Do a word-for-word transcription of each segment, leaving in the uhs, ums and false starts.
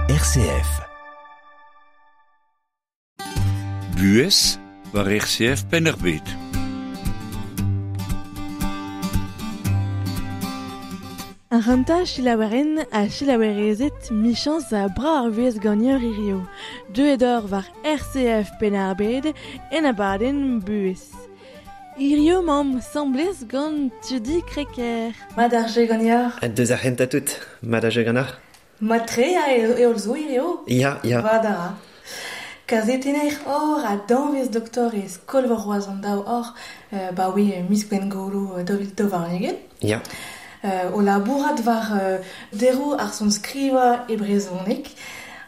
R C F. Buhez war R C F Penn-ar-Bed. Ar renta chilaoueren a chilaouerezet michans a bra ar vuez gagneur hirio. Deuet or war R C F Penn-ar-Bed en abadenn buhez. Hirio mamm semblez gant Tudi Crequer. Mad ar jeu gagneur. Deus ar renta tout. Mad ar jeu gagneur. Mad tre a eol zo hirio. Ya, ya. Vad a ra. Kazetenner or a danvez doktor e skol war roaz an daou or, euh, ba oui, mis gwengolo daou vil daou warn-ugent. Ya. Euh, o labourat war euh, dero ar son skriva e brezhoneg.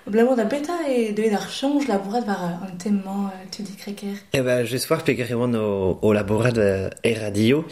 Blamour da beta e deuet ar chanj labourat war an temmañ euh, Tudi Crequer. Eh ben, just war peger e oan o, o labourat euh, e radio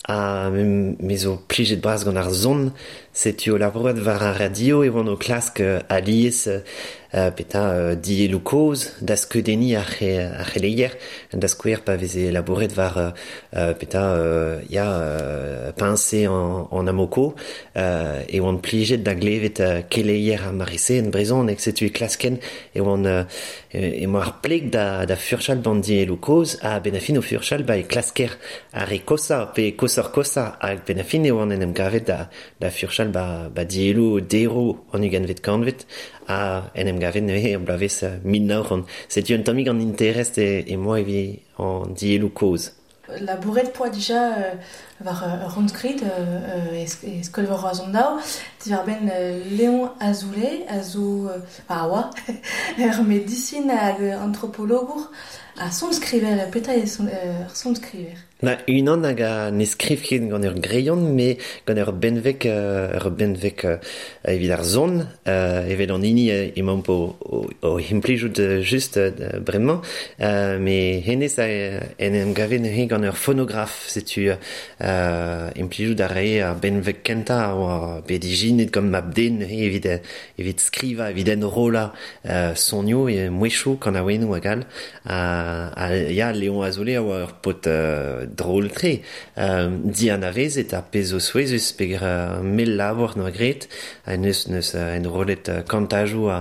a me zo plijet bras gant ar zon, setu o labourat war ar radio e oan o klask euh, alies euh, peta euh, dielou koz da skeudeni ar ar c'heleier, da skouer pa veze labouret war euh, peta euh, ya euh, pincé en, en amoko euh, e oan plijet da glevet euh, keleier ar marise en brezon ek setu e klasken e oan euh, e moa ar pleg da, da furchal ban dielou koz a benafin o furchal ba e klasker ar e kosa pe kosor kosa hag benafin e oan en em gavet da, da furchal ba, ba dielou dero an ugentvet kantvet a en em gavet neuze e blavez mil nav c'hant. Setu un tammig an interest e, e moa evi an dielou koz. Labouret poa dija euh, war euh, rondskrid euh, e, e skol war roaz an daou, diwar ben euh, Léon Azoulay, a zo euh, a oa, ur medisin hag antropologour, a sonskriver, petra e son, euh, sonskriver. Na unan hag a ne skriv ket gant ur greion, me gant ur benveg, euh, ur benveg euh, evit ar zon, euh, evel an hini euh, emaomp o, o, o implijout just euh, bremañ, euh, me hennezh a en em gave neuze gant ur phonographe, setu euh, implijout a rae ar benveg kentañ a oa bet ijinet gant mab-den neuze evit, evit skriva, evit enrollañ euh, sonioù e mouezhioù kanaouennoù hag all. A, a, ya, Léon Azoulay a oa ur paotr euh, drôle tre. Euh, dianavezet ar pezh zo souezhus peger uh, mel labour noa graet, a neus neus uh, enrollet uh, kantajoù a,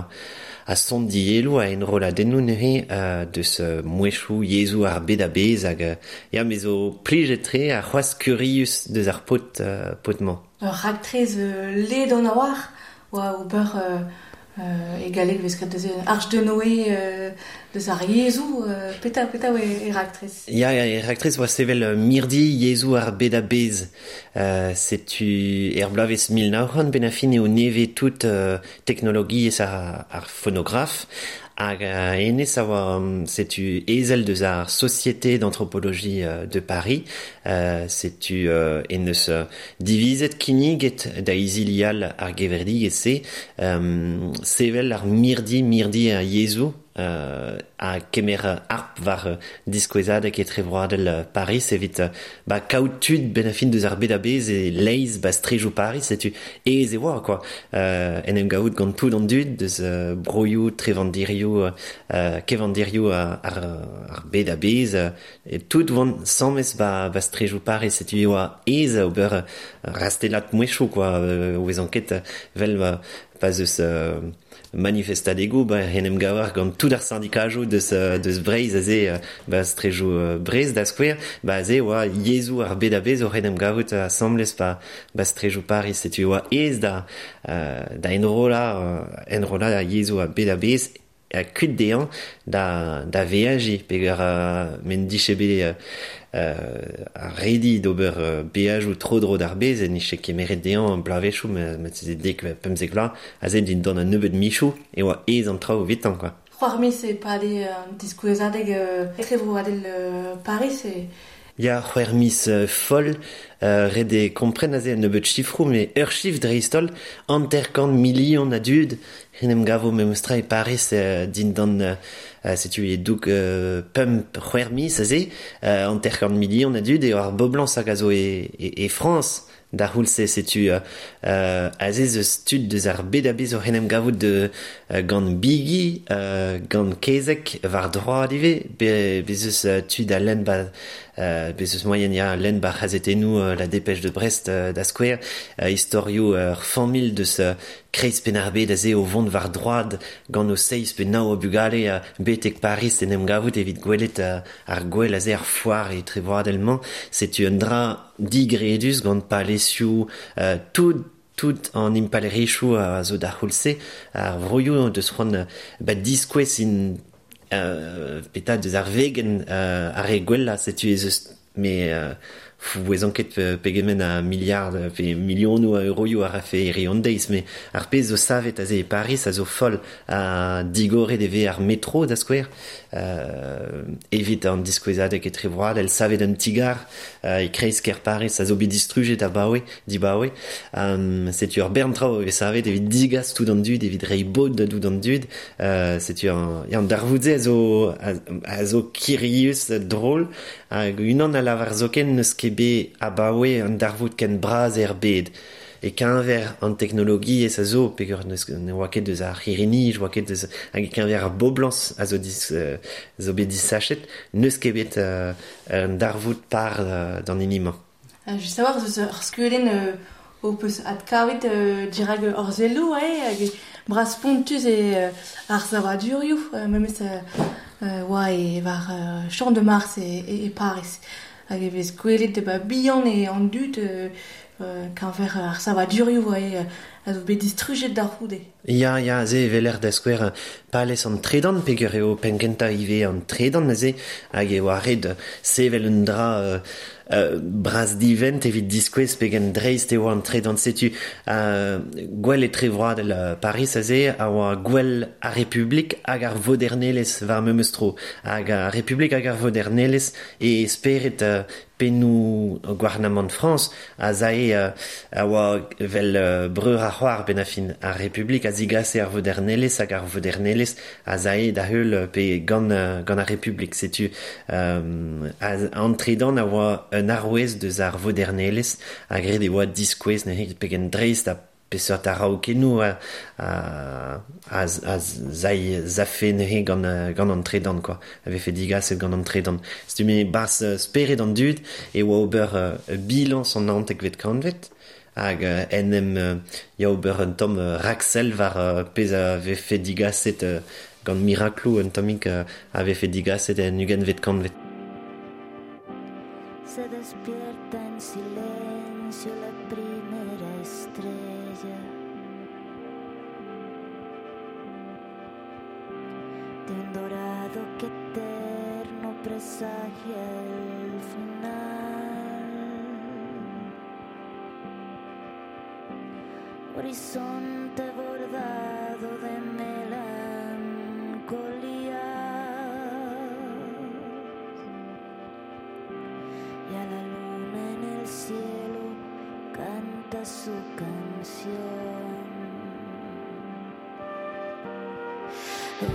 a son dielou a enrolladennoù neuze uh, deus uh, mouezhioù yezhoù ar bed a-bezh hag uh, ya me zo plijet tre a c'hoazh kurius deus ar paotr uh, paotr-mañ. Ur raktrez euh, led an a-war oa ober euh, Euh, e galleg vez ket deus Arche de Noé euh, deus ar yezhoù, euh, peta, peta oa e raktrez. Ya, ya, e raktrez oa sevel euh, mirdi yezhoù ar bed a-bezh. Euh, setu er bloavezh mil nav c'hant ben a fin eo nevez tout euh, teknologiezh ar, ar phonographe. Hag euh, hennezh a oa setu ezel deus ar Société d'anthropologie euh, de Paris. Euh, setu euh, en eus euh, divizet kinniget da izilial ar gevredigezh-se, euh, sevel ar mirdi, mirdi ar yezhoù, euh, a kemer harp war euh, diskouezadeg etrevroadel euh, Paris evit euh, ba kaout tud ben a fin deus ar bed a-bezh e leiz ba strejoù Paris, setu aes e oa quoi. Euh, en em gavout gant tout an dud deus euh, broioù, trevandirioù, euh, kevandirioù ar, ar, ar bed a-bezh, euh, e tout oant samez ba, ba strejoù Paris, setu e oa aes ober euh, rastellat mouezhioù quoi, euh, o vezan ket vel ba, pa zeus euh, manifestadegoù, ba en em gavar gant tout ar syndikajoù deus, euh, deus Breizh aze, euh, ba strejoù euh, Breizh da skouer, ba aze oa yezhoù ar bed a-bezh oc'h en em gavout asambles ba, ba strejoù Paris, setu oa aes da, euh, da enrollañ, euh, enrollañ ar yezhoù ar bed a-bezh a kuit dezhañ da, da veajiñ, peger euh, men dije bet euh, euh, ar redi d'ober euh, beajoù tro-dro d'ar bez, en nije kemeret dezhañ bloavezhioù, me, me se dek pemzek vloaz, aze dindan un nebeud michoù, e oa aes an traoù evitañ, quoi. C'hoar miz e pade euh, diskouezadeg euh, etrevroadel euh, Paris e... Ya, c'hwec'h miz euh, foll, euh, ret eo kompren aze un nebeud chifroù, me ur chif dreist-holl, hanter-kant milion a dud, en em gavo memestra e Paris euh, dindan euh, setu e doug euh, pemp c'hwec'h miz aze, euh, hanter-kant milion a dud, eo ar boblañs hag a zo e, e, e Frañs da c'houlz-se, setu euh, euh, aze zeus tud deus ar bed a-bezh oc'h en em gavout de, euh, gant bigi, euh, gant kezeg war droad ivez, be, bez eus euh, tud a lenn ba, euh, bez eus moyen ya lenn bar c'hazetennoù euh, la dépêche de Brest euh, da skouer, euh, istorioù ur euh, familh deus euh, kreiz Penn-ar-Bed aze o vont war droad gant o seiz pe nav o bugale euh, betek Paris en em gavout evit gwelet euh, ar gwel aze ar foar e trevroadel-mañ. Setu un dra digredus gant palezioù euh, tout tout an impalerichoù a zo d'ar c'houlz-se, ar vroioù deus c'hoant ba diskouez in euh, petra deus ar vegenn euh, ar re gwellañ, setu ez eus me euh, fou ket pegement a milliard pe milionoù a euroioù a rafe eri an deiz, me ar pezh zo savet aze e Paris a zo foll a digoret e vez ar metro da skouer euh, evit an diskouezadeg etrevroadel savet un tigar euh, e kreiz ker Paris a zo bet distrujet abaoe dibaoe um, setu ur bern traoù e vez savet evit digas tout an dud evit reiñ bod da tout an dud euh, setu an, an darvoud-se a zo a, a zo kirius drôle hag unan a lavar zoken n'eus ket bet abaoe an darvoud ken bras er bed e keñver an teknologiezh a zo peogwir n'eus ne oa ket deus ar c'hirri-nij oa ket deus hag e keñver ar boblañs a zo dis, euh, zo bet disachet n'eus ket bet euh, un darvoud par euh, d'an hini-mañ. Uh, just a-walc'h eus ur skeudenn euh, ho peus adkavet euh, dirak ur selloù eh, hag bras spontus e euh, ar savadurioù euh, memes euh, euh, oa e war euh, Champ de Mars e, e, e Paris. Hag e vez gwelet ba bihan e an dud euh, euh, keñver ar savadurioù oa a zo bet distrujet d'ar c'houde. Ya, ya, ze evel da skouer palez an tredan, peogwir eo penn-kentañ ivez an tredan aze, hag e oa ret sevel un dra euh, euh, bras divent evit diskouez pegen dreist eo an tredan setu euh, gwell etrevroadel euh, Paris aze a oa gwell ar Republik hag ar vodernelezh war memes tro hag ar Republik hag ar vodernelezh e spered euh, pennoù gouarnamant Frañs a zae euh, a oa vel euh, breur ar c'hoar ben a fin ar Republik a zigase ar vodernelezh hag ar vodernelezh a zae da heul pe gant, gant ar Republik setu euh, an tredan a oa un arouez deus ar vodernelezh a gred e oa diskouez neuze pegen dreist a peseurt araokennoù a, a, a, a zai zafe neuze gant, gant an tredan quoi a vefe digaset gant an tredan setu me bas spered an dud e oa ober uh, bilañs an naontekvet kantved hag uh, en em uh, ya ober un tamm uh, raksell war uh, pezh a vefe digaset uh, gant mirakloù un tammig uh, a vefe digaset en ugentvet kantved. Se despierta en silencio la primera estrella de un dorado que eterno presagia el final. Horizonte bordado de melancolía y a la luna en el cielo canta su canción. Oh.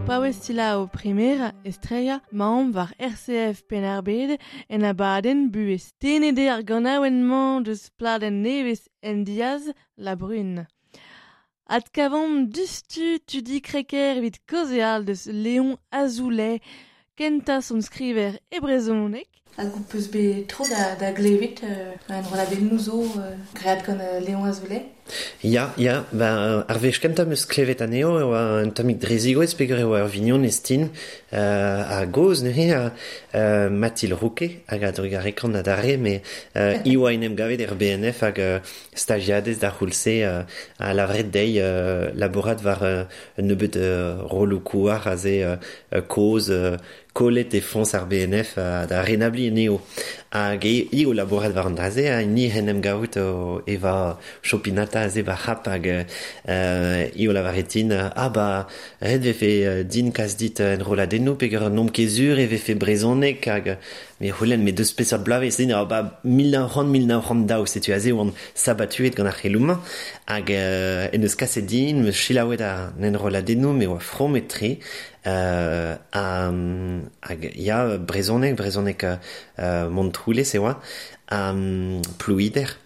paouez selaou Primera Estrella maomp war R C F Penn-ar-Bed en abadenn buhez. Tennet eo ar ganaouenn-mañ deus pladenn nevez en diaz La Brune. Adkavomp dustu tudi kreker evit kaozeal deus Léon Azoulay, kentañ sonskriver e brezhoneg. Hag ho peus bet tro da, da glevet euh, an rolladennoù zo euh, graet gant euh, Léon Azoulay? Ya, ya, ba, ar wech kentañ 'm eus klevet anezho e oa un tammig drezigoez peogwir e oa ur vignon estin euh, a goz neuze euh, Mathilde Rouquet hag a drugarekan adarre, me euh, i oa en em gavet er B N F hag euh, stagiadez da c'houlse euh, a lavret dezhi euh, labourat war euh, un nebeud euh, rolloù kouar aze euh, koz euh, kollet e foñs ar B N F euh, da renabli anezho. Hag e, i o labourat war an dra-se, ha ni en em gavout o eva chopinata aze ba c'hap hag euh, i o lavaretin, ah ba, ret vefe din kas dit en rolladennoù peogwir n'omp ket sur e vefe brezhoneg hag me c'houlenn me deus peseurt bloavezh din, ah ba mil nav c'hant mil nav c'hant daou, setu aze oan sabatuet gant ar c'heloù-mañ hag euh, en deus kaset din, me selaouet ar enrolladennoù me oa fromet-tre euh, ha, hag ya brezhoneg, brezhoneg euh, Montroulez e oa, um, Plouider,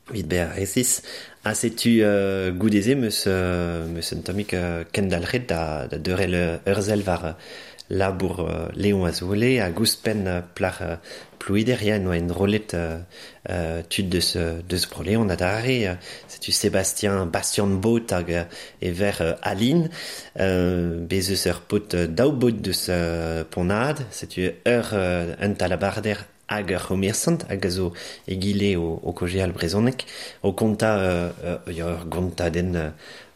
evit bezañ resis, ha setu euh, goude-se meus, euh, meus un tammig euh, kendalc'het da, da deurel ur sell war euh, labour euh, Léon Azoulay hag ouzhpenn euh, plac'h euh, Plouider, ya, en oa enrollet euh, euh, tud deus, deus Bro-Leon adarre, euh, setu Sébastien Bastien Bot hag euh, e ver euh, Aline, euh, bez eus ur paotr euh, daou baotr deus euh, Pont-Nad, setu ur euh, un talabarder hag ur c'homersant hag a zo egile o, o kojeal brezhoneg, o kontañ euh, euh, ya ur gontadenn euh,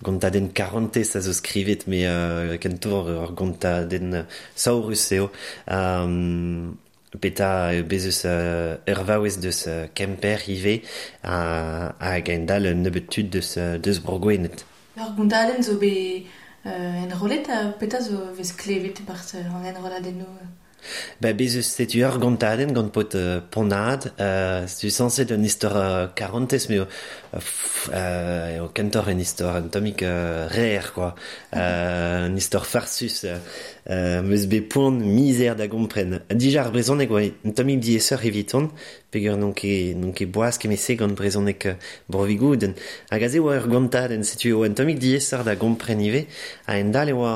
gontadenn karantez a zo skrivet, me euh, kentoc'h ur gontadenn saourus eo. Um, Peta bez eus euh, ur vaouez deus euh, Kemper ivez ha, hag a-hend-all un nebeud tud deus, deus Bro-Gwened. Ur gontadenn zo bet euh, enrollet, ha peta zo vez klevet e-barzh an enrolladennoù? Ba, bez eus setu ur gontadenn gant paotr euh, Pont-Nad, euh, setu sañset un istor euh, karantez, me euh, f-, euh, eo kentoc'h un istor un tammig euh, rêr, quoi. Euh, un istor farsus, euh, euh, meus bet poan mizer da gompren. Dija ar brezhoneg oa un tammig diaesoc'h eviton, peogwir n'on ket, n'on ket boaz kement-se gant brezhoneg euh, Bro-Vigoudenn. Hag aze oa ur gontadenn, setu oa un tammig diaesoc'h da gompren ivez, a-hend-all e oa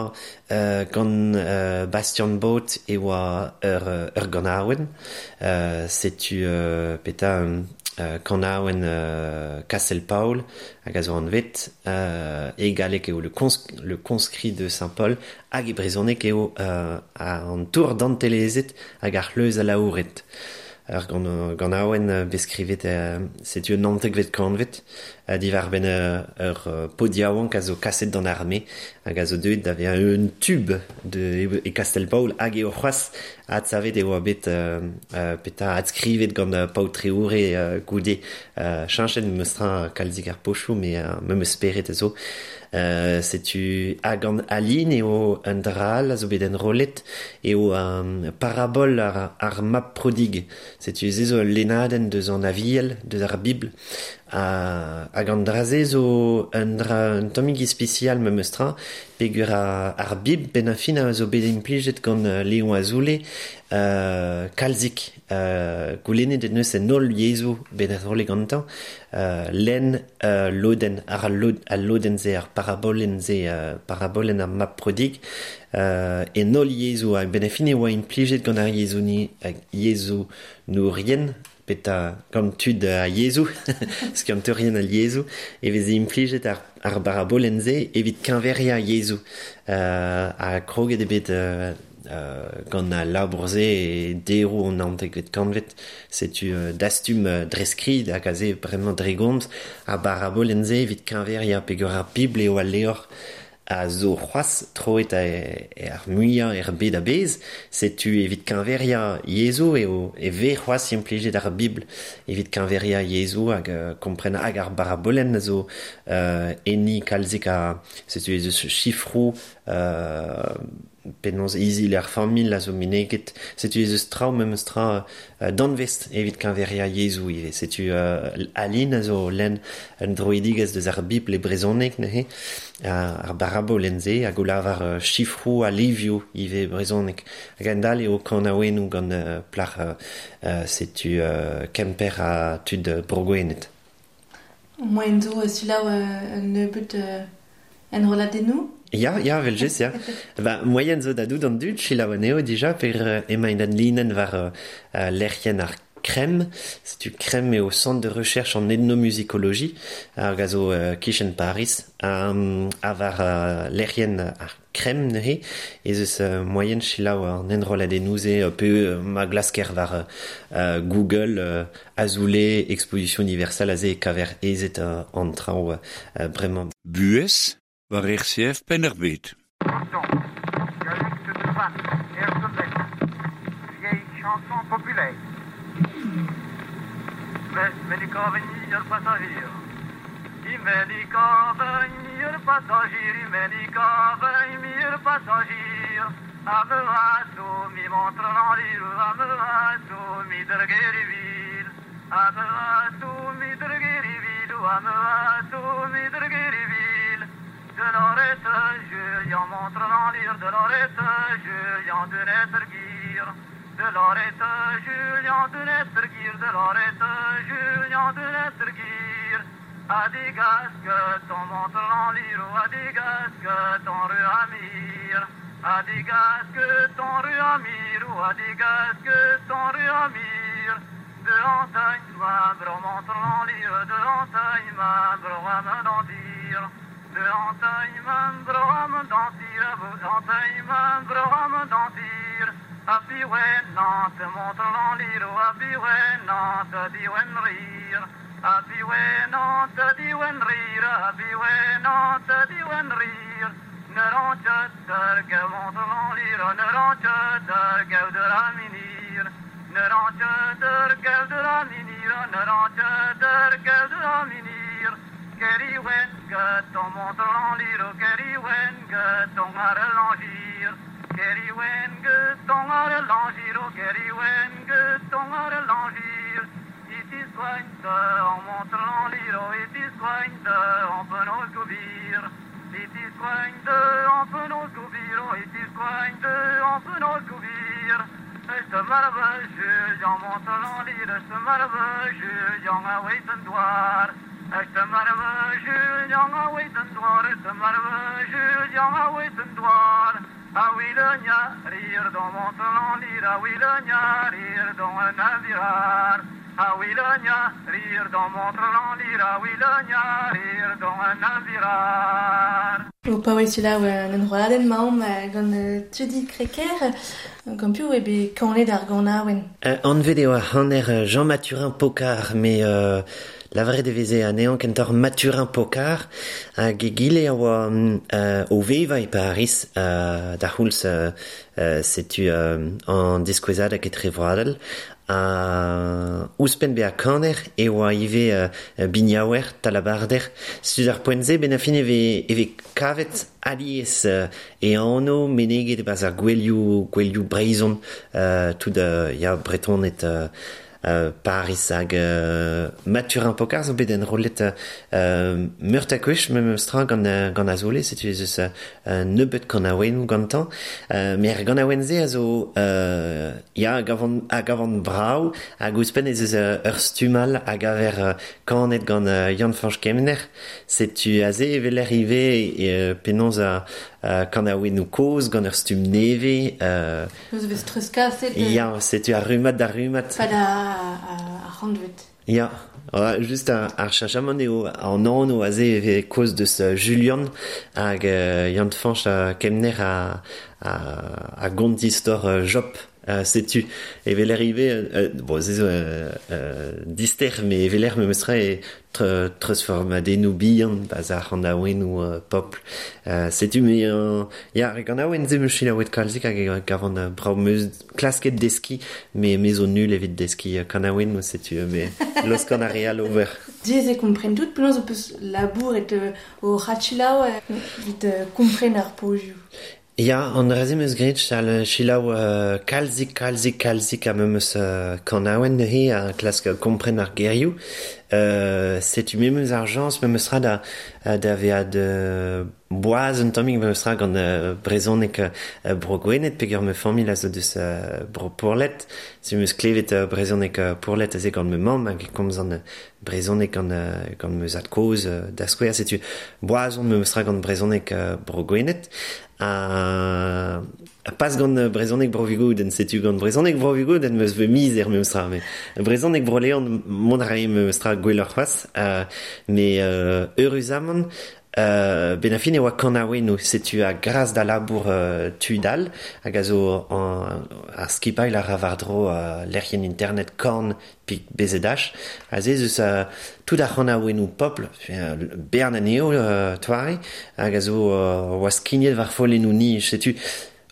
euh, gant euh, Bastien Bot e oa ur, ur ganaouenn, euh, setu euh, peta euh, kanaouenn euh, Kastel-Paol hag a zo anvet, euh, e galleg eo le, cons-, le conscrit de Saint-Paul hag e brezhoneg eo euh, an tour dantelezet hag ar c'hleuz alaouret. Ur gant, ganaouenn bet skrivet euh, setu un naontekvet kantved, euh, diwar-benn euh, ur euh, paotr yaouank a zo kaset d'an arme hag a zo deuet da vezañ un tube de, e Kastel-Paol hag eo c'hoazh adsavet e oa bet euh, euh, peta adskrivet gant euh, paotr-treoure euh, goude euh, cheñchet meus tra kalzik ar pochoù, me, euh, me meus speret a zo. Euh, setu hag an Aline eo un dra all a zo bet enrollet eo un parabol ar, ar mab prodig. Setu se zo ul lennadenn deus an Aviel, deus ar Bibl. Ha, hag an dra-se zo un dra un tammig ispisial memes tra, peogwir ar, ar Bibl benn ar fin a zo bet implijet gant euh, Léon Azoulay euh, kalzik euh, goulennet en deus en holl yezhoù bet enrollet gantañ, euh, lenn euh, lodenn ar lod, al lodenn-se, ar parabolenn-se, euh, parabolenn ar mab prodig, euh, en holl yezhoù, hag benn ar fin e oa implijet gant ar yezhoù ni, hag yezhoù nourien, peta gant tud a yezhoù, skiantourien al yezhoù, e veze implijet ar, ar barabolenn-se evit keñveriañ yezhoù. Euh, ha kroget eo bet, euh, euh, gant al labour-se e deroù an naontekvet kantved, setu euh, dastum euh, dre skrid hag aze bremañ dre gomz ar barabolenn-se evit keñveriañ peogwir ar Bibl eo al levr a zo c'hoazh troet a, e ar muiañ er bed a-bezh, setu evit keñveriañ yezhoù eo e vez c'hoazh implijet ar Bibl evit keñveriañ yezhoù hag, euh, kompren hag ar barabolenn a zo, euh, enni kalzik a, setu ez eus chifroù, euh, penaos izil ar familh a zo meneget. Setu ez eus traoù memes tra uh, danvez evit keñveria yezhoù ivez. Setu uh, Aline a zo lenn un droidigezh deus ar Bibl e brezhoneg neuze, uh, ar barabolenn-se hag o lavar uh, chifroù ha livioù ivez brezhoneg. Hag a-hend-all eo kanaouennoù gant uh, plac'h uh, uh, setu uh, Kemper ha tud uh, Bro-Gwened. Moaien zo uh, selaou uh, un nebeud uh, enrolladennoù? Ya, ya, vel-just, ya. Ba, moaien zo da dout an dud, selaou anezho dija, per uh, emaint en linenn war uh, uh, lec'hienn ar CREM. Setu CREM eo Centre de Recherche en Ethnomusicologie, hag a zo uh, kichen Paris, um, ha war uh, lec'hienn ar CREM neuze, ez eus uh, moaien selaou an enrolladennoù-se uh, pe uh, ma glasker war uh, Google uh, Azoulay Exposition Universelle aze e kaver ezet uh, an traoù uh, bremañ. Buhez war R C F Penn-ar-Bed. Dialecte de Vannes, air de vieille chanson populaire. Venir passager. Venir passager, venir passager. Ame mi montre l'enlir, ame mi drgerivil. Ame mi drgerivil, ame mi drgerivil. De l'orette, Julien montre l'enlir, de l'orette, Julien de Nettergir. De l'orette, Julien de Nettergir, de l'orette, Julien de Nettergir. A des gasques, ton montre l'enlir, a des gasques, ton rue amir. A des gasques, ton rue amir, ou a des gasques, ton rue amir. De entaille, ma bro montre l'enlir, de entaille, ma bro am dandir. De entaille, ma bro am dandir, entaille, ma bro am dandir. A piwen nant montre l'enlir, a piwen nant diwen rire. A piwen nant diwen rire, a piwen nant diwen rire. Ne rentje der montre l'enlir, ne rentje der de la minir. Ne rentje der de la minir, ne rentje der de la minir. Keriwen ton montre l'enlir, keriwen ton arrangir. Keriwen ton arrangir, keriwen ton arrangir. It is quaint en montre l'enlir, it is quaint en penaos gobir. It is quaint en penaos gobir, it is quaint en penaos gobir. Este marve Julien montre l'enlir, este marve Julien a weten doar. Este marve Julien a weten doar, este marve Julien a weten doar. A wilonia rire dans montre l'enlir, a wilonia rire dans un navirar. A wilonia rire dans montre l'enlir, a wilonia rire dans un navirar. O paouez selaou un enrolladenn maomp gant Tudi Crequer, gant piv eo bet kanet ar ganaouenn. Uh, anvet eo ar c'haner Jean Mathurin Pocard, mais euh, lavaret e veze anezhañ kentoc'h Mathurin Pocard, hag egile a oa euh, o vevañ e Paris euh, da c'houlz euh, euh, setu euh, an diskouezadeg etrevroadel, a ouzhpenn bezañ kaner e oa ivez euh, biniaouer, talabarder. Setu ar poent-se ben a fin e vez, e vez kavet alies euh, e anv meneget e-barzh ar gouelioù, gouelioù Breizhon, euh, tout euh, ya Bretoned euh, euh, Paris hag euh, Mathurin Pocard zo bet enrollet euh, meur a gwech memes tra gant, euh, gant Azoulay, setu ez eus euh, nebeut kanaouennoù gantañ. Euh, met ar ganaouenn-se a zo euh, ya a gavan, a gavan brav hag ouzhpenn ez eus euh, ur stumm all a gaver euh, kanet gant euh, Yann-Fañch Kemener. Setu aze e weler ivez e, penaos a euh, kanaouennoù kozh gant ur stumm nevez. Euh, Eus vez treuzkaset ya, setu ar rummad da rummad. Pad a, a, ar c'hantved. Ya, ouais, just ar, ar cheñchamant eo an anv aze e vez kaoz deus Julian hag euh, Yann-Fañch a Kemener a, a, a gont istor euh, Job. Euh, setu e weler ivez euh, bon, se zo euh, euh, dister, met e weler memes tra e tre, treuzfurmadennoù bihan ba'z ar c'hanaouennoù euh, popl. Euh, setu me euh, ya, ar ganaouenn se 'm eus selaouet kalzik hag e gavan euh, brav 'm eus klasket deskiñ, me me zo nul evit deskiñ euh, kanaouennoù, setu me laoskan ar re all ober. Diaes eo kompren tout, penaos ho peus labouret euh, o c'hadselaou evit euh, kompren ar pozioù. Ya, an dra-se 'm eus graet chal selaou euh, kalzik, kalzik, kalzik a memes euh, kanaouenn neuze a klask kompren ar gerioù. Euh, setu memes ar jañs memes tra da, da vezañ de boaz un tammig memes tra gant euh, brezhoneg euh, bro Gwened peogwir ma familh a zo deus euh, bro Pourlet. Se 'm eus klevet euh, brezhoneg euh, Pourlet aze gant ma mamm hag e komzan euh, brezhoneg gant, euh, gant ma zad-kozh euh, da skouer. Setu boaz on memes tra gant brezhoneg euh, bro Gwened. Ha pas gant brezhoneg bro Vigoudenn, setu gant brezhoneg bro Vigoudenn 'm eus bet mizer memes tra, met brezhoneg bro Leon mont a rae memes tra gwelloc'h c'hoazh, euh, met euh, eüruzamant euh, ben a fin e oa kanaouennoù, setu a gras da labour euh, tud all hag a zo an, ar skipailh a ra war-dro euh, lec'hienn internet Korn pik B Z H, aze ez eus euh, tout ar c'hanaouennoù pobl, euh, bern anezho euh, toare, hag a zo euh, oa skignet war follennoù nij, setu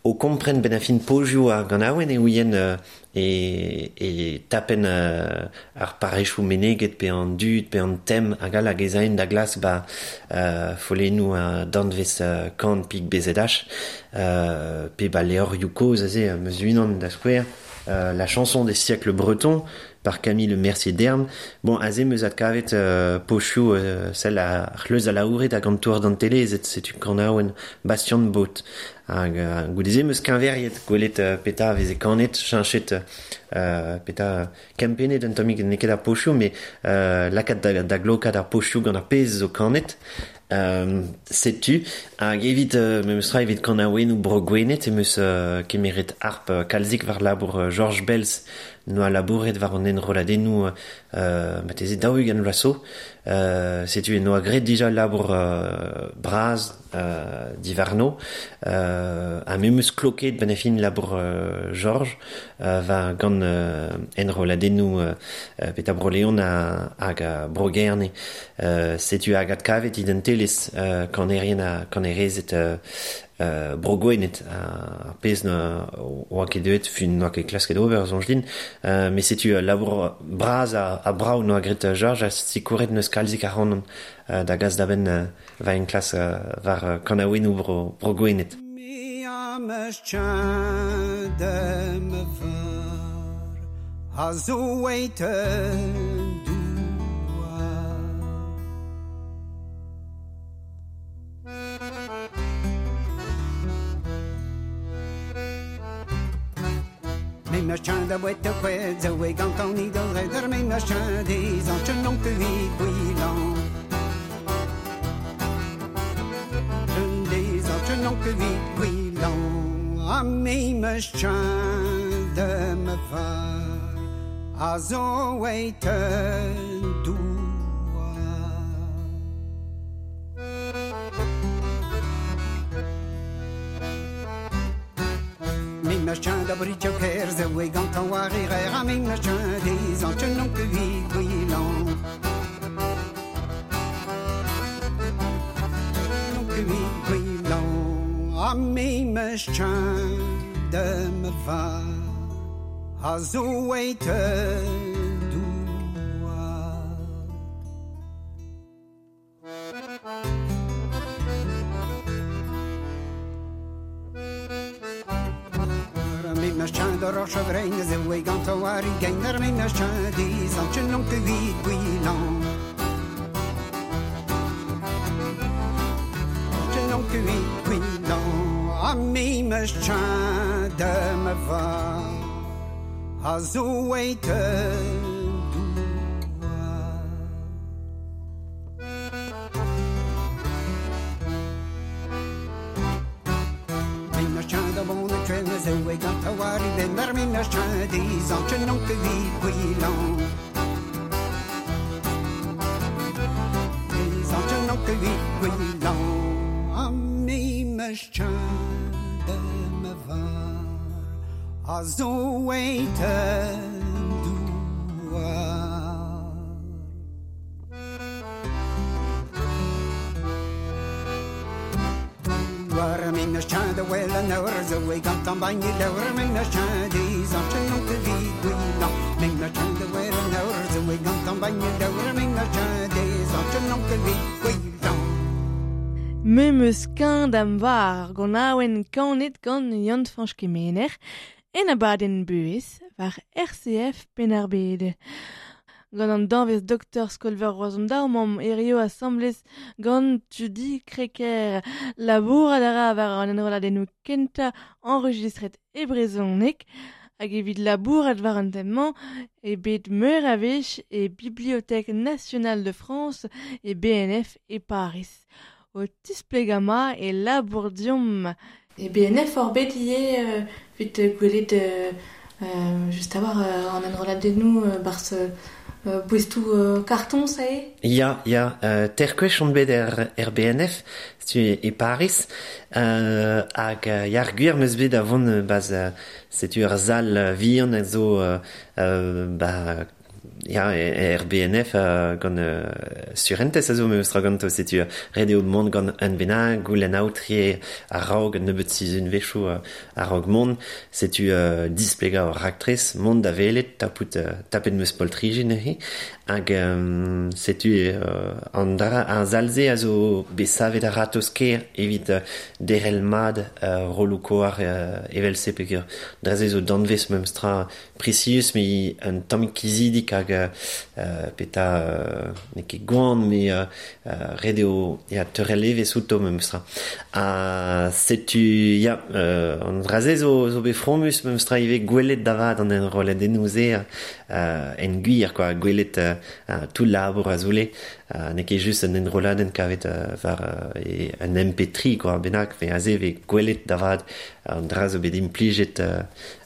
o kompren ben a fin pozioù ar ganaouenn e ouien euh, e, e tapen euh, ar parrechoù meneget pe an dud pe an tem hag all hag ez aen da glask ba euh, follennoù a danvez euh, Korn pik B Z H euh, pe ba levrioù kozh aze euh, meus unan da skouer euh, La chanson des siècles bretons par Camille Mercier-Derme. Bon, aze meus adkavet euh, pochioù euh, sell a c'hleuz a laouret hag an tour d'an tele ez setu kanaouenn Bastien de Bot. Hag euh, goude-se meus keñveriet gwelet euh, peta veze kanet, cheñchet euh, peta kempennet un tammig n'eo ket ar pochioù, met euh, lakaat da, da glokat ar pochioù gant ar pezh zo kanet. Euh, setu hag evit euh, memes tra evit kanaouennoù bro Gwened em eus euh, kemeret harp euh, kalzik war labour euh, Georges Belz noa labouret war an enrolladennoù euh, marteze daou-ugent vloaz zo. Euh, setu e noa graet dija labour euh, bras euh, diwarno euh, ha memes kloket ben a fin labour euh, Georges euh, war gant euh, enrolladennoù euh, peta bro Leon ha, hag a bro Gerne. Euh, setu hag adkavet identelezh euh, kanerien ha kanerezed euh, euh, bro Gwened ar pezh na oa ket deuet fin n'oa ket klasket ober soñj din euh, met setu labour bras a, a brav noa graet Georges a sikouret neus kalzik ac'hanon euh, da gas da benn euh, va enklas euh, war euh, kanaouennoù bro, bro Gwened. Mi am eus tjadem var a zo eit douar. Me meus tjad a boet a kwed, zo e gant an idol redder, me meus tjad ez an tjenon ke vi gwilan. Des an tjenon ke vi gwilan, a me meus tjad me var, a zo eit douar. Me meus tjad a britio ker, zo e gant an war e rer, a me meus tjad ez an tjenon ke vi gwilan. Ke vi gwilan, a me meus tjad me var, a zo eit douar. Me meus tjad a roch a vrein, zo e gant a war e geiner, me meus tjad ez an tjenon ke vi gwilan. Tjenon ke vi gwilan, a me meus tjad me var, a zo eit douar. Me meus tjad a bon a tren, zo e gant a war e benner, me meus tjad ez an tjenon ke vi gwilan. Ez an tjenon ke vi gwilan, a me meus tjad me var, a zo eit douar. War me meus tjad a wel an eur, zo e gant an bagn e leur, me meus tjad ez an tjenon ke vi gwilan. Me meus tjad a wel an eur, zo e gant an bagn e leur, me meus tjad ez an tjenon ke vi gwilan. Me meus keñd am war gant awen kanet gant Yann Fañch Kemener en abadenn buhez war R C F Penn-ar-Bed. Gant an danvez doktor Skolver Roazhon daou mamm erio asamblez gant Tudi Crequer. Labourat a ra war an enrolladennoù kentañ enregistret e brezhoneg hag evit labourat war an tem-mañ e bet meur a wech e Bibliothèque Nationale de France e B N F e Paris. O tisplegama e labour diomp. E B N F hor bet ivez euh, vit gwelet euh, euh, just a war euh, an enrolladennoù euh, barz euh, boestoù euh, karton, ça eo? Ya, ya, euh, terkwech on bet er, er B N F, setu e Paris, euh, hag euh, ya ar gwir meus bet a vont euh, baz euh, setu ur zal vihan a zo euh, euh, ba, ya, e, er B N F euh, gant euh, surentez a zo meus tra ganto, setu ret eo mont gant un bennak, goulenn aotre a-raok nebeut sizhun wechoù euh, a-raok mont, setu euh, displegañ ur raktres, mont da welet, tapout, euh, tapet meus poltriji neuze, hag euh, setu euh, an dra ar zal-se a zo bet savet ar ratozh-kaer evit euh, derc'hel mat euh, rolloù koar euh, evel-se peogwir dra-se zo danvez memes tra prisius, met un tamm kizidik hag euh, peta euh, n'eo ket gwan, met euh, ret eo ya teurel evezh outo memes tra. Ha setu ya euh, an dra-se zo, zo bet fromus memes tra ivez gwelet da vat an enrolladennoù-se euh, en gwir quoi, gwelet euh, tout labour a zoule, euh, n'eo ket just un enrolladenn kavet euh, war euh, e un M P trois quoi, bennak, ve aze ve gwelet da vat an dra zo bet implijet euh,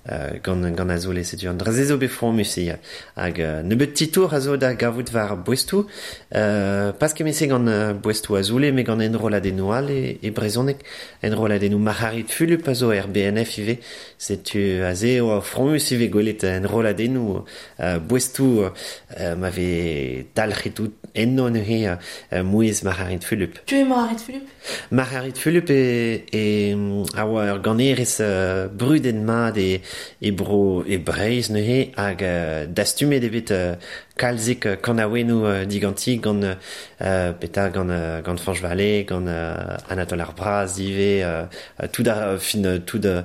euh, gant, gant a zoule, setu an dra-se zo bet fromus eo. Hag euh, nebeut titour a zo da gavout war boestoù, euh, pas ket gant euh, boestoù a zoule, met gant enrolladennoù all e, e brezhoneg, enrolladennoù Marc'harid Fulup a zo er B N F ivez, setu aze eo fromus ivez gwelet enrolladennoù euh, boestoù euh, ma vez dalc'het out enno neuze euh, mouezh Marc'harid Fulup. Tu es Marc'harid Fulup? Marc'harid Fulup e, e a oa ur ganerez euh, brudet mat e, e bro e Breizh neuze hag euh, dastumet eo bet euh, kalzik euh, kanaouennoù euh, diganti gant euh, peta gant euh, gant Fañch Vallée, gant euh, Anatole ar Braz ivez euh, tout ar fin tout euh,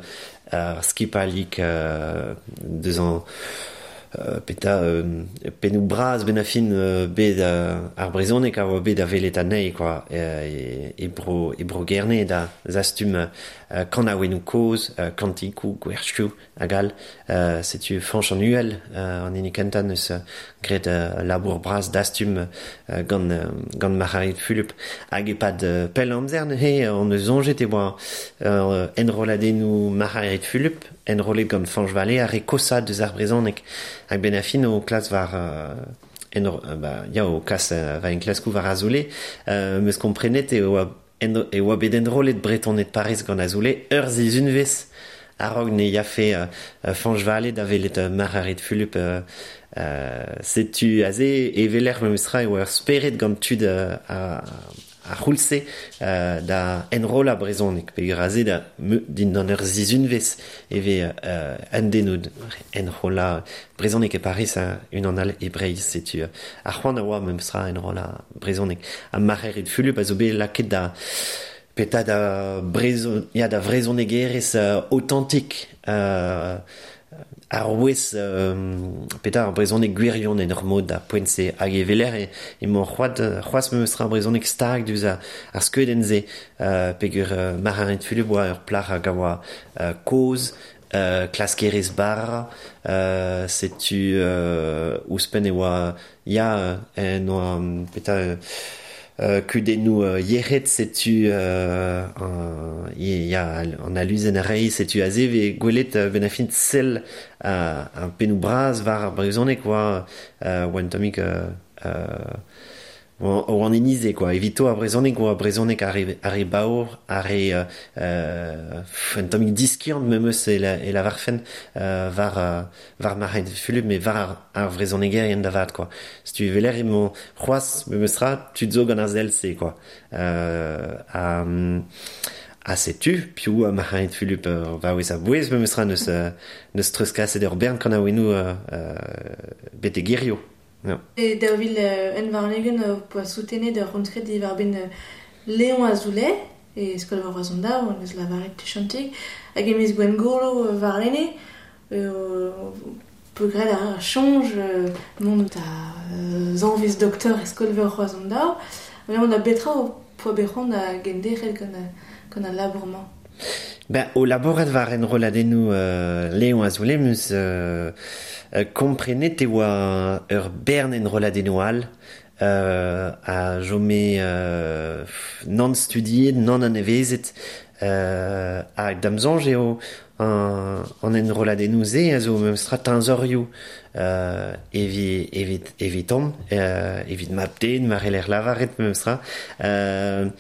ar skipalik euh, deus an Euh, peta euh, pennoù bras ben a fin euh, bet euh, ar brezhoneg a oa bet a welet anezhi quoi, e, e bro, e bro Gerne da zastum euh, kanaouennoù kozh, euh, kantikoù, gwerchioù hag all, euh, setu Fañch an Uhel euh, an hini kentañ neus euh, graet euh, labour bras dastum euh, gant, euh, gant Marc'harid Fulup hag e-pad euh, pell amzer neuze on eus soñjet e oa euh, enrolladennoù Marc'harid Fulup enrollet gant Fañch Vallée ar re kosañ deus ar brezhoneg hag ben a fin o klas war euh, enro, euh, ba, ya o kas euh, va enklaskoù war Azoulay, euh, meus komprenet e oa en, e oa bet enrollet Bretoned Paris gant Azoulay ur sizhunvezh a-raok ne yafe euh, Fañch Vallée da welet euh, Marc'harid Fulup euh, euh, setu aze e weler memes tra e oa ur spered gant tud euh, a, a c'houlse euh, da enrollañ brezhoneg peogwir aze da me, dindan ur sizhunvezh e vez euh, un den o enrollañ brezhoneg e Paris a unan all e Breizh, setu euh, ar c'hoant a oa memes tra enrollañ brezhoneg ha Marc'harid Fulup a zo bet lakaet da peta da brezhon, ya da vrezhonegerez euh, authentique euh, ar wez euh, peta ar brezhoneg gwirion en ur mod da poent-se hag e weler e, emañ c'hoaz, c'hoazh memes tra ar brezhoneg stag diouzh ar, ar skeudenn-se euh, peogwir euh, Marc'harid Fulup oa ur plac'h hag a oa euh, kozh, euh, klaskerez bara, euh, setu euh, ouzhpenn e oa ya en oa peta euh, Euh, kudennoù euh, yec'hed setu euh, an, ya an aluzenn a reiz setu aze ve gwelet euh, ben a fin sell euh, un pennoù bras war ar brezhoneg oa euh, oa un tammig euh, euh, oa, oa an inize quoi, evito ar brezhoneg oa brezhoneg ar re, ar re baour, ar re euh, euh, un tammig diskiant memes e la, e la varfen euh, war, euh, war Marc'harid Fulup, met war ar, ar vrezhonegerien da vat quoi. Setu weler emañ c'hoazh memes tra tud zo gant ar sell-se quoi. Euh, ha, ha setu, piv a Marc'harid Fulup euh, va wez a bouez memes tra neus, euh, neus treuzkaset ur bern kanaouennoù euh, euh, bete gerio. No. E daou vil euh, un warn-ugent euh, poa soutenet ur rentre diwar-benn euh, Léon Azoulay, e skol war Roazhon daou, an eus lavaret tuchantig, hag e miz Gwengolo warlene, euh, peogwir ar soñj mont da zanvez doktor e skol veur Roazhon daou, mont da betra o poa bet c'hoant da genderc'hel gant, gant al labour-mañ. Ben, o labourat war enrolladennoù euh, Léon Azoulay meus euh, komprenet e oa ur bern enrolladennoù all euh, a jome euh, nann studiet, nann anevezet euh, hag da'm soñj eo an, an enrolladennoù-se a zo memestra teñzorioù euh, evit, evit, evitomp, euh, evit mab-den, mar c'heller lavaret memestra. Euh,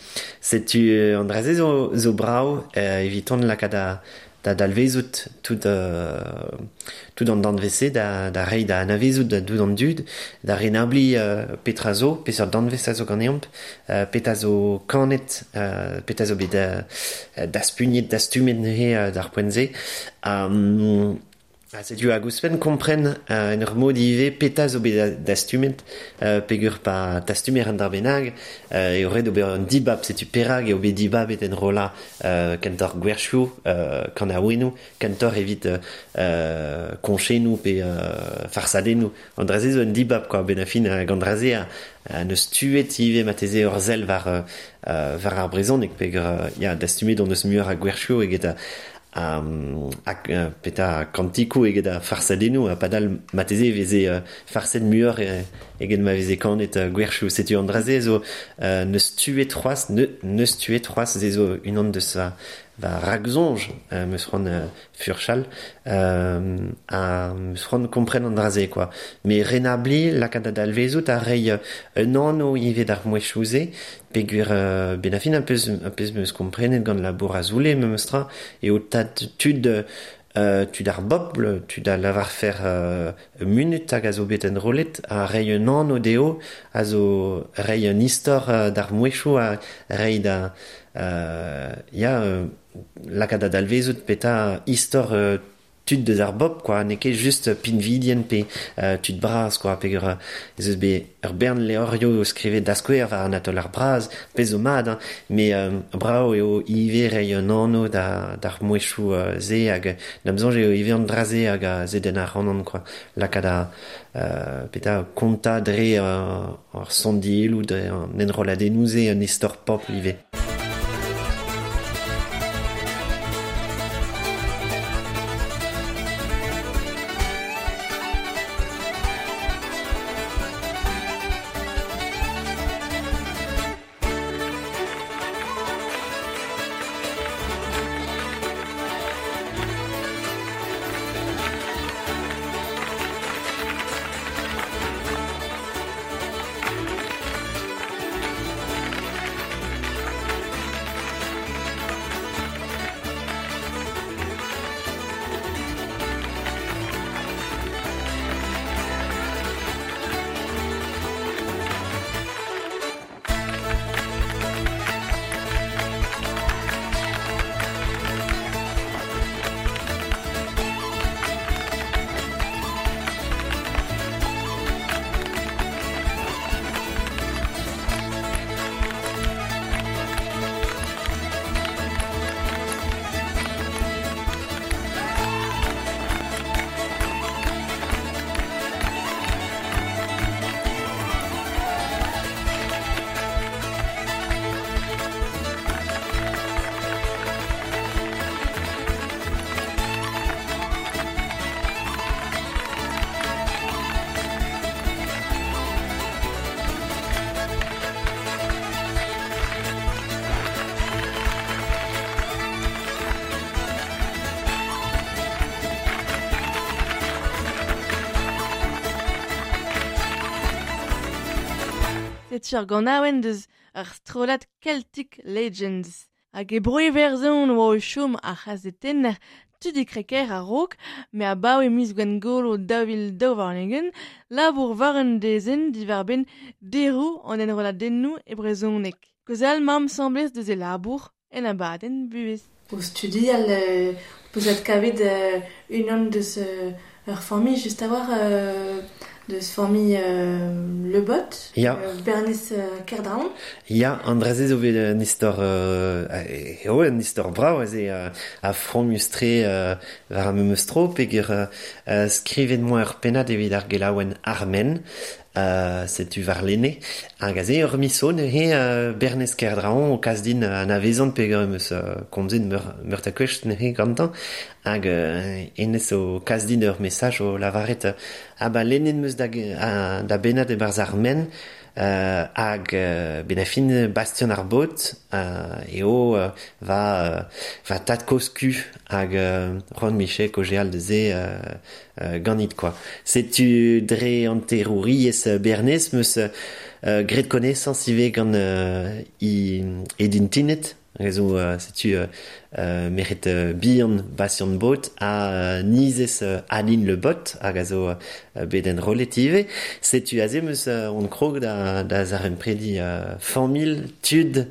setu an dra-se zo, zo brav euh, eviton lakaat da, da dalvezout tout, euh, tout an danvez-se da, da reiñ da anavezout da dout an dud, da renabli euh, petra zo, peseurt danvez a zo ganeomp, euh, petra zo kanet, euh, petra zo bet euh, daspugnet, dastumet neuze euh, d'ar poent-se. Um, Ha setu hag ouzhpenn kompren euh, en ur mod ivez petra zo bet dastumet, euh, peogwir pa dastumer an dra bennak, euh, eo ret ober un dibab, setu perak eo bet dibabet enrollañ euh, kentoc'h gwerchoù, euh, kanaouennoù, kentoc'h evit euh, koñchennoù pe euh, farsadennoù. An dra-se zo un dibab quoi, ben a fin hag an dra-se a, a neus tuet ivez marteze ur sell war, euh, war ar brezhoneg peogwir euh, ya, dastumet on eus muioc'h a gwerchoù eget a Um, hag uh, petra kantikoù eget a farsadennoù ha padal marteze e veze uh, farset muioc'h eget ma veze kanet uh, gwerchoù. Setu an dra-se zo uh, neus tuet c'hoazh, ne, neus tuet c'hoazh se zo unan deus va, va ragsoñj euh, meus c'hoant uh, furchal euh, ha meus c'hoant kompren an dra-se quoi. Mais renabli lakaat da dalvezout ha reiñ un anv ivez d'ar mouezhioù-se peogwir euh, ben a fin un peus, un peus meus komprenet gant labour Azoulay memestra eo tad tud euh, tud ar bobl, tud a lavar fer euh, munut hag a zo bet enrollet ha reiñ un anv dezho a zo reiñ un istor euh, d'ar mouezhioù ha reiñ da euh, ya euh, lakaat da dalvezout petra istor euh, tud deus ar bobl quoi, n'eo ket just pinvidien pe euh, tud bras quoi, peogwir ez eus bet ur bern levrioù o skrivet da skouer war Anatole ar Braz, pezh zo mat, hein, mais euh, brav eo ivez reiñ un anv da, d'ar mouezhioù euh, se hag da'm soñj eo ivez an dra-se hag a zedenn ar c'hanon quoi, lakaat da euh, petra kontañ dre euh, ar sondielloù, dre an enrolladennoù-se un istor pobl ivez. Setu ar ganaouenn deus ar strollad Celtic Legends. Hag e bro Iwerzhon oa o chom ar c'hazetenner Tudi Crequer a-raok, me abaoe miz Gwengolo daou vil daou warn-ugent, labour war un dezenn diwar-benn deroù an enrolladennoù e brezhoneg. Kaozeal 'maomp asambles deus e labour en abadenn buhez. O studial euh, peus adkavet euh, unan deus euh, ur familh just a-walc'h euh, deus familh euh, Le Bot, Ya. euh, Bernez euh, Kerdraon. Ya, an draze zo bet un istor, euh, eo un istor brav aze euh, a frommustre euh, war ar memes tro, peger euh, euh, skrivet moa ur pennad evit ar gelaouen Armen, euh, setu war lene, hag aze ur miso neuze euh, Bernez Kerdraon o kas din an avezant peger em eus euh, komzet meur, meur ta kwech neuze gantañ, hag euh, enez o kas din ur mesaj o lavaret euh, ah ba lennet meus da, a, da bennad e-barzh Armen, Euh, hag euh, ben a fin Bastien ar Bot euh, eo euh, va euh, va tad kosku hag euh, Ron Michel kojeal de ze euh, euh, ganit quoi. Setu dre anterouriez Bernez meus euh, gret connaissance ive gant euh, i edin tinet Rezo, euh, setu euh, euh, meret euh, bihan Bastien Bot a euh, nizez euh, Aline Le Bot hag a zo euh, bet en rolet ive. Setu aze meus euh, on krog da, da zaren predi euh, famil tud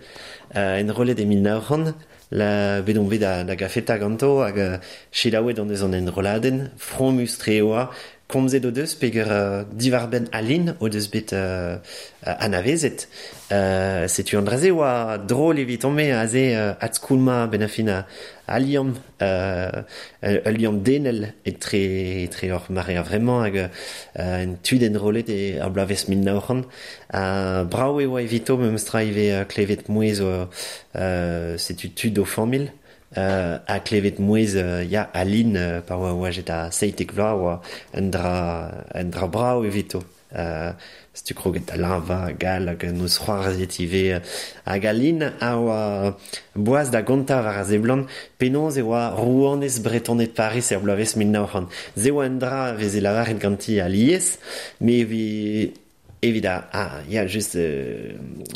euh, en rolet e mil nav c'hant la bet on bet da, da gafeta ganto hag euh, selaouet an eus an enroladenn fromus tre oa komzet o deus peger euh, divarbenn Aline o deus bet euh, anavezet. Euh, setu an draze oa drôle evitomp-me aze euh, adskoulma ben a fin a, a liamm, euh, ul liamm denel etre, etre ur mare a vremañ hag euh, en tud enrollet e ar bloavezh mil nav c'hant. Uh, brav e oa evito memes tra ivez euh, klevet mouezh o, euh, setu tud o familh. Euh, a klevet mouezh euh, ya Aline euh, pa oa oajet a seitek vloaz oa un dra, un dra brav evito. Euh, setu kroget da leñva gal hag noz c'hoarzhet ivez hag Aline a oa boaz da gontañ war ar seblant penaos e oa rouanez Bretoned Paris er bloavezh mil nav c'hant. Se oa un dra veze lavaret ganti alies, me evit evit a, ah, ya, just euh,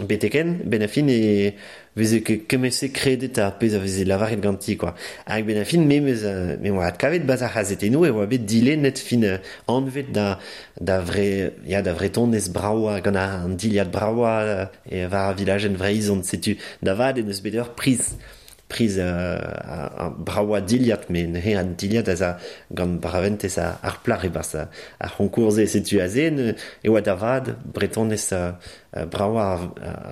beteken, ben a fin e veze ket kement-se kredet ar pezh a veze lavaret ganti, quoi. Hag ben a fin, me meus, euh, me oa adkavet baz ar c'hazetennoù e oa bet dilennet fin euh, anvet da, da vre, ya, da vretonez braoa, gant an diliad braoa euh, e war ar vilajenn Vreizh, setu da vat en eus bet ur priz. Priz euh, a, a braoa diliad, me neuze an diliad az a gant braventez a, ar plac'h e-barzh a, ar c'honkourze setu aze, ne, e oa da vat bretonez euh, braoa ar,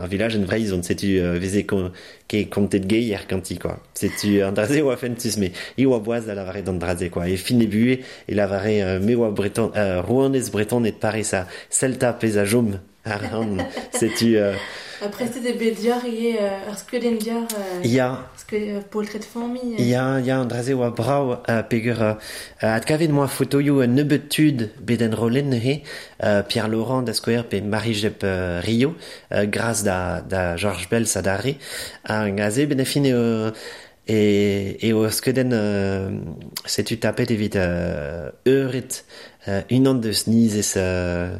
ar vilajenn Vreizh, setu euh, veze kon, ke kontet geier ganti, quoi. Setu an draze oa fentus, me i oa boaz da lavaret an draze, quoi. E fin e buhe e lavare euh, me oa breton, euh, rouanez bretoned Paris a Celta pez a jom ar an, setu... Euh, Après, c'était bet dior ivez euh, ur skeudenn dior euh, Ya. ske, euh, poltred familh. Ya, ya, an draze oa brav euh, peger euh, adkavet moa fotoioù un nebeud tud bet enrollet neuze, euh, Pierre Laurent da skouer pe Marie-Jep euh, Rio, euh, gras da, da Georges Bels adarre. Hag aze ben a fin eo, e, eo ur skeudenn euh, setu tapet evit euh, euret euh, unan deus nizez euh,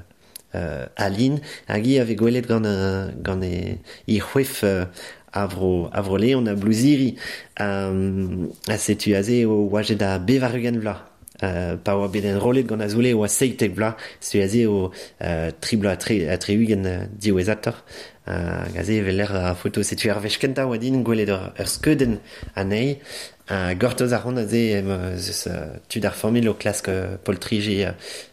Euh, Aline, hag hi avait gwelet gant, euh, gant e, he c'hwef euh, avro, avro Leon a blouziri euh, a setu aze o oajet a bevar-ugent vloaz. Euh, pa oa bet enrollet gant Azoulay oa seitek vloaz, setu aze o euh, tri bloaz tre, a tri-ugent euh, diwezhatoc'h. Euh, hag aze evel lec'h a foto setu ar wech kentañ oa din gwelet ur, ur skeudenn anezhi. Uh, gortoz a ran aze em eus uh, tud ar familh o klask uh, poltriji uh,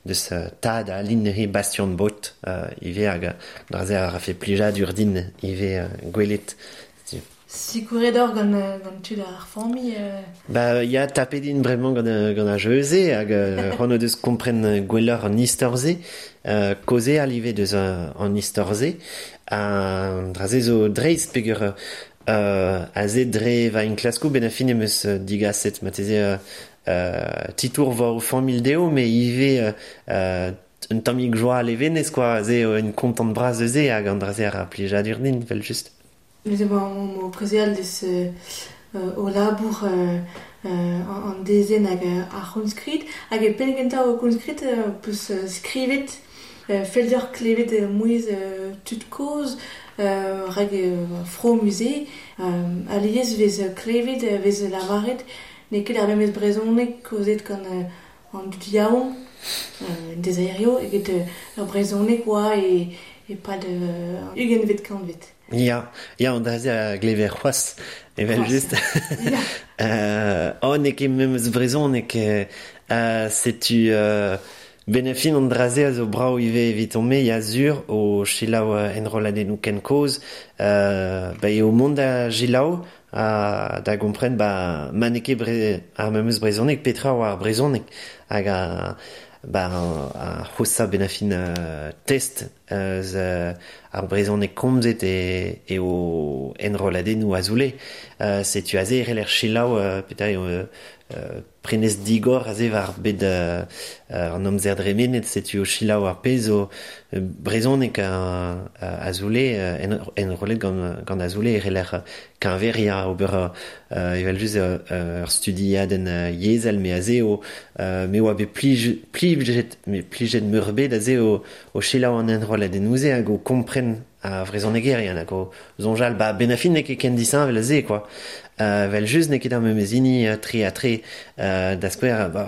deus uh, tad a Aline neuze Bastien Bot uh, ivez hag draze a rafe plijadur din ivez uh, gwelet. Sikouret or gant, gant tud ar familh euh... Ba, ya, tapet din bremañ gant, gant ar jeu-se hag uh, c'hoant o deus kompren gwelloc'h an istor-se, uh, kaozeal ivez deus an istor-se, uh, draze zo dreist peger Euh, aze dre va enklaskoù ben a fin em eus digaset marteze euh, euh, titour war o familh dezho, me ivez euh, un tammig joa a levenez, quoi, aze un kontant bras eus e hag an draze ar plijadur din, vel just. Neuze bon, o kaozeal deus euh, o labour euh, euh, an dezenn hag ar c'hounskrid, hag e penn kentañ o c'hounskrid euh, peus euh, skrivet euh, fell deoc'h klevet euh, mouezh euh, tud kozh, Euh, rag euh, fro musée euh, alies vez klevet vez lavaret n'eo ket ar memes brezhoneg kaozet gant euh, an dud yaouank euh, dezaerio eget euh, ur brezhoneg oa e, e pad euh, ugentvet kantved. Ya, ya, an draze a glever c'hoazh, evel just. Ya. euh, oh, n'eo ket memes brezhoneg, euh, setu... Euh, Benefin an draze a zo brao ive evit me ya zur o selaou enrolladennoù ken kozh, euh, ba eo mont da selaou a da gompren ba ma n'eo ket bre, ar memes brezhoneg petra oa ar brezhoneg hag a ba a c'hosa benafin uh, test eus uh, ar brezhoneg komzet e, e o enrolladennoù azoule. Uh, setu aze e c'heller selaou uh, petra eo uh, prenez digor aze war bet uh, an amzer dremenet, setu o selaou ar pezh o uh, brezhoneg a, a azoule uh, en, enrollet gant, gant azoule e c'heller keñveria ober uh, evel just ur uh, studiadenn uh, yezhel me aze o uh, me oa bet plij, plijet me plijet meurbet aze o, o selaou an enrolladennoù-se hag o kompren a vrezhonegerien hag o soñjal ba benafin n'eo ket ken disheñvel aze quoi. Uh, vel just n'eo ket ar memes hini uh, tre ha tre uh, da skouer ba,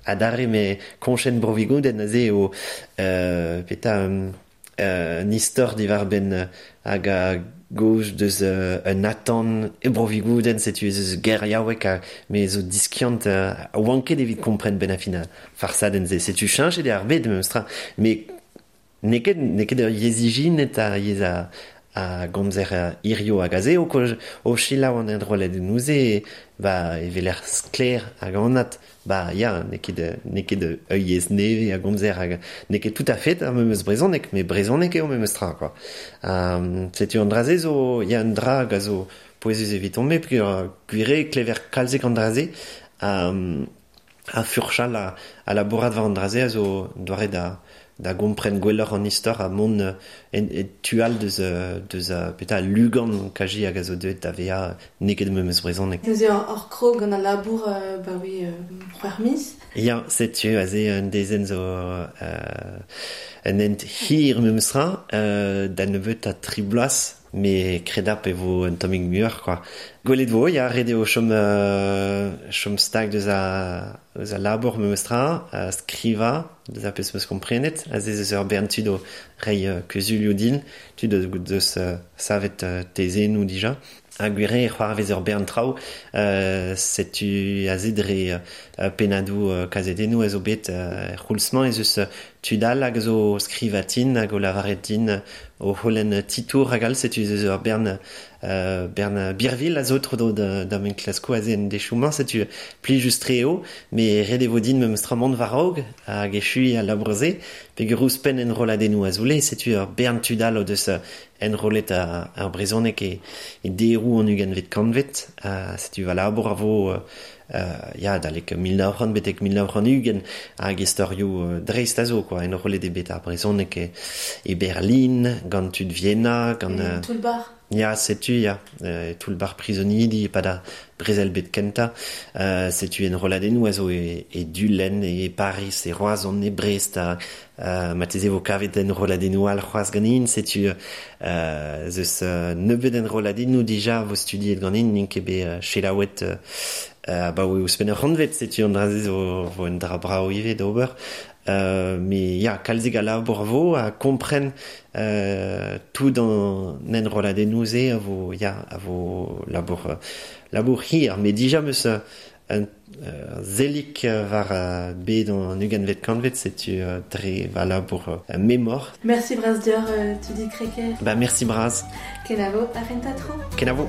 adarre me koñchenn Bro-Vigoudenn aze o uh, peta um, uh, un istor diwar benn uh, hag a gauche deus uh, un atan e Bro-Vigoudenn setu ez eus geriaoueg ha me zo diskiant uh, a oan ket evit kompren ben a fin a farsadenn se setu cheñchet eo ar bed memes tra me n'eo ket n'eo ket ur yezh ijinet a yezh a a gomzer hirio hag aze o o selaou an enrolladennoù-se ba e weler sklaer hag anat ba ya n'eo ket n'eo ket ur yezh nevez a gomzer hag n'eo ket tout à fait ar memes brezhoneg met brezhoneg eo memes tra quoi. Um, setu an dra-se zo ya un dra hag a zo pouezus eviton-me peogwir gwir eo klever kalzik an dra-se um, a furchal a, a labourat war an dra-se a zo doare da da gompren gwelloc'h an istor a mont en, e tual deus, deus petra lugan kaji hag a zo deuet da vezañ n'eo ket memes brezhoneg. Neuze ur krog gant al labour euh, ba oui euh, c'hwec'h miz. Ya, setu aze un dezenn zo euh, un hent hir memes tra, euh, da nebeut a tri bloaz, me kredap e vo un tammig muioc'h quoi. Gwelet vo, ya, ret eo chom, euh, chom stag deus a, deus a labour memes tra, uh, skrivañ, deus a pezh meus komprenet, aze eus ur bern tud o reiñ uh, kuzulioù din, tud deus uh, savet uh, tezennoù dija. Ha gwir eo c'hoarvez ur bern traoù, uh, setu aze dre uh, pennadoù uh, kazetennoù a zo bet uh, c'houlz-mañ ez eus uh, tud all hag zo skrivatin hag o lavaret din uh, o c'houlenn titour hag all, setu ez eus ur bern uh, bern birvil a zo tro dro da, da men klasko aze en dechoù-mañ, setu plijus-tre eo, met ret e vo din memes tra mont war-raok hag echuiñ al labour-se, peogwir ouzhpenn enrolladennoù azoule, setu ur bern tud all o deus enrollet ar, ar brezhoneg e, e deroù an ugentvet kantved, uh, setu va labour a vo uh, ya, adalek mil nav c'hant betek mil nav c'hant ugent hag istorioù uh, dreist a zo quoi, enrollet eo bet ar brezhoneg e, e Berlin, gant tud Vienna, gant... Uh, Toull-bar. Ya, setu, ya, euh, toull-bar prizonidi e pad ar brezel bet kentañ, euh, setu enrolladennoù a zo e, e Dulenn, e Paris, e Roazhon, e Brest, ha euh, marteze vo kavet enrolladennoù all c'hoazh ganin, setu euh, ez eus euh, nebeut enrolladennoù dija vo studiet ganin, n'int ket bet euh, selaouet euh, abaoe ouzhpenn ur c'hantved, setu an dra-se zo vo un dra brav ivez d'ober. Euh, mais ya, kalzik a labour vo a kompren euh, tout an enrolladennoù-se a vo, ya, a vo labour, labour hir, met dija meus un uh, zelik war uh, bet an ugentvet kantved, setu uh, dre va labour uh, memor. Merci bras deoc'h, uh, Tudi Crequer. Ba merci bras. Kenavo, ar c'hentañ tro. Kenavo.